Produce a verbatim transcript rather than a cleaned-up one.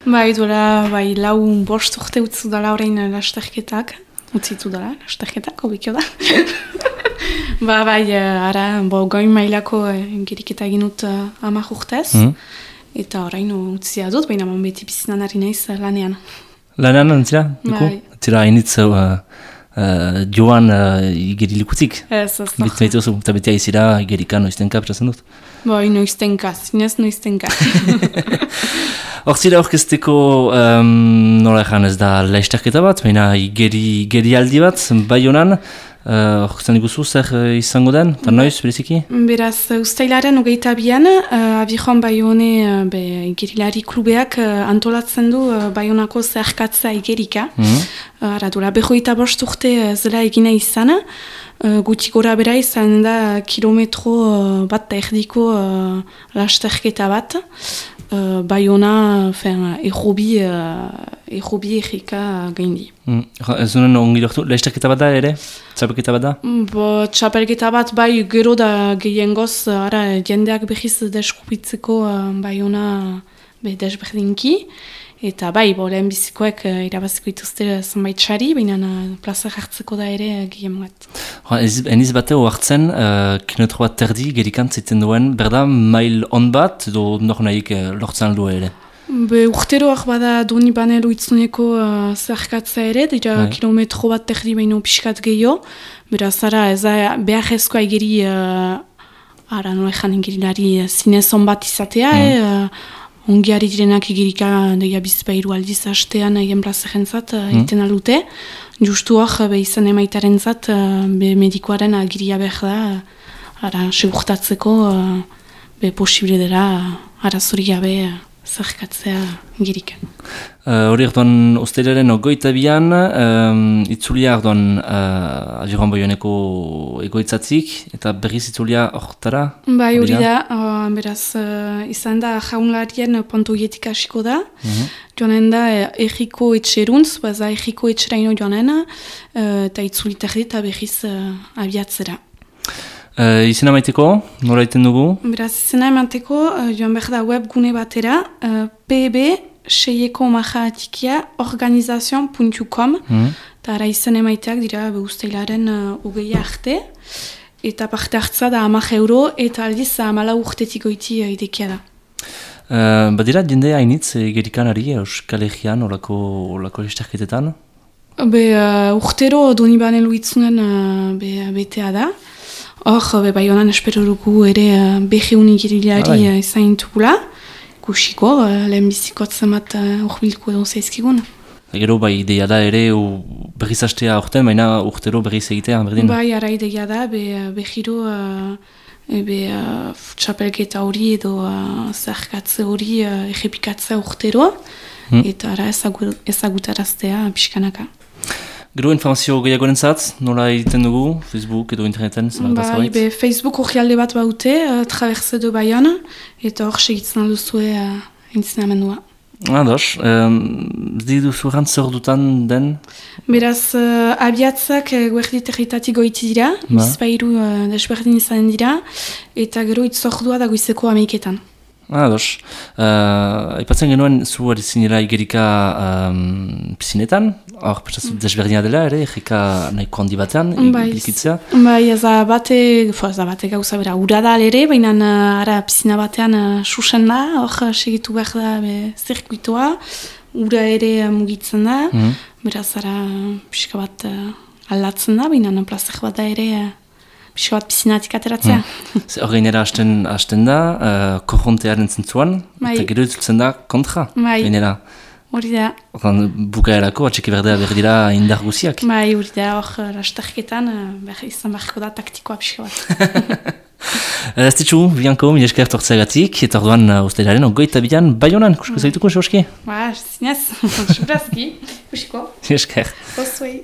Bai, duela, bai, lau bost urte utzu dala orain lasterketak. Utzitu dala, lasterketak, obikio da. ba, bai, ara, bo, goin mailako geriketa egin dut uh, amak urtez. Mm. Eta orain utzia dut, baina man beti bizinan ari naiz lanean. Lanean, antzira? Bai. Zira, hainitz uh, uh, joan uh, igerilikutik? Ez, ez. Bitu nahi duzu, eta beti aizira igerika noiztenka, perazen dut? Bai, noiztenka, zinez noiztenka. Hor zira orkesteko um, nola ezan ez da lasterketa bat, baina igeri, igeri aldi bat, bai honan, hor uh, zan iguzu zer uh, izango den, eta noiz, bereziki? Beraz, ustailaren hogeita bian, uh, abijon bai hone uh, igerilari klubeak uh, antolatzen du uh, bai honako zerkatza igerika. Mm-hmm. uh, Ara dura, behoita bost urte uh, zela egina izan, uh, guti gora bera izan da kilometro uh, bat da erdiko uh, lasterketa bat. Uh, Baiona, errobi, uh, errobi errika gaindi. Mm. Ez duen ongi dortu, lasterketa bat da ere? Txapelketa bat da? Bo, txapelketa bat bai gero da gehiengoz, ara, jendeak behiz deskupitzeko uh, Baiona be desberdinki. Eta bai, bo, lehen bizikoek uh, irabaziko ituzte zenbait txari, baina uh, plaza jartzeko da ere uh, gehien bat. Eniz bate oartzen, uh, kilometro bat terdi gerikan zaiten duen, berda mail on bat, edo nor nahik uh, lortzen aldu ere? Be, urteroak bada doni banelo itzuneko uh, zerkatza ere, dira bai. Kilometro bat terdi baino pixkat gehiago, beraz, ara, ez da behar ezkoa egeri, uh, ara, nola ezan egerilari uh, zinezon bat izatea, mm. eh, uh, ongiari direnak igirika deia bizpairu aldiz hastean egin plazerentzat egiten mm. aldute. Justu hor, be izan emaitaren zat, be medikoaren agiria behar da, ara, segurtatzeko, be posible dela, arazori gabe zerkatzea igirikan. Hori uh, orduan, ostelaren ogoita bian, um, itzulia orduan uh, Abiron Baioneko egoitzatzik, eta berriz itzulia hortara? Bai, hori da, uh, beraz, uh, izan da jaunlarien pontoietik hasiko da, mm-hmm. joanen da erriko etxeruntz, baza erriko etxeraino joanen, uh, eta itzuliterri eta berriz uh, abiatzera. Uh, izena maiteko, nola iten dugu? Beraz, izena maiteko, uh, joan behar da webgune batera, uh, P B seieko maja atikia organizazion puntu com, mm. eta ara izena maiteak dira ustailaren uh, ugeia arte, eta parte hartza da hamak euro, eta aldiz hamala urtetik goiti uh, idekia da. Uh, badira, jende hainitz egerikan ari, Euskal Herrian, olako, olako esterketetan? Be, uh, urtero doni banelu itzunen uh, be, betea da. Hor, be, bai honan espero dugu ere uh, beheun igerilari uh, izan intugula. Kusiko, uh, lehen bizikotzen bat urbilko edo zaizkigun. Gero, bai, ideia da ere berriz hastea orten, baina urtero berriz egitea, berdin? Bai, ara ideia da, be, behiro uh, be, uh, txapelketa hori edo uh, zerkatze hori uh, errepikatzea urtero, hmm. eta ara ezagutaraztea pixkanaka. Gero informazio gehiagoren zatz, nola egiten dugu, Facebook edo interneten? Bai, be, Facebook orrialde bat baute, uh, Traverse de Bayonne, eta hor segitzen alduzue uh, entzina amendua. Ados, um, zi duzu errant zer dutan den? Beraz, uh, abiatzak uh, guerdi territatik goiti dira, ba. Bizpairu uh, desberdin izan dira, eta gero itzordua da goizeko ameiketan. Ados, uh, aipatzen genuen zu ari zinela igerika um, pisinetan, hor pentsatzen mm. desberdina dela ere, egika nahiko handi batean, iklikitzea? Bai, ez da bate, ez da bate gauza bera, uradal ere, baina ara pisina batean uh, susen da, hor segitu behar da be, zirkuitoa, ura ere mugitzen da, mm. beraz ara pixka bat uh, aldatzen da, baina plazak bat da ere, uh, pixka bat pisinatik ateratzea. Mm. Hor gainera hasten, hasten da, uh, korrontearen zentzuan, bai. Eta gero itzultzen da kontra, bai. Gainera. Hori da. Horren bukaerako, atxeki berdea berdira indar guziak. Bai, hori da, hor lasterketan, uh, izan beharko da taktikoa pixka bat. Ez ditxu, Bianco, mila esker tortzeagatik, eta orduan uh, ustailaren ogoita bian, Baionan, kusko zaituko, Joski? Ba, zinez, sobrazki, kusiko. Mila esker. Osuei.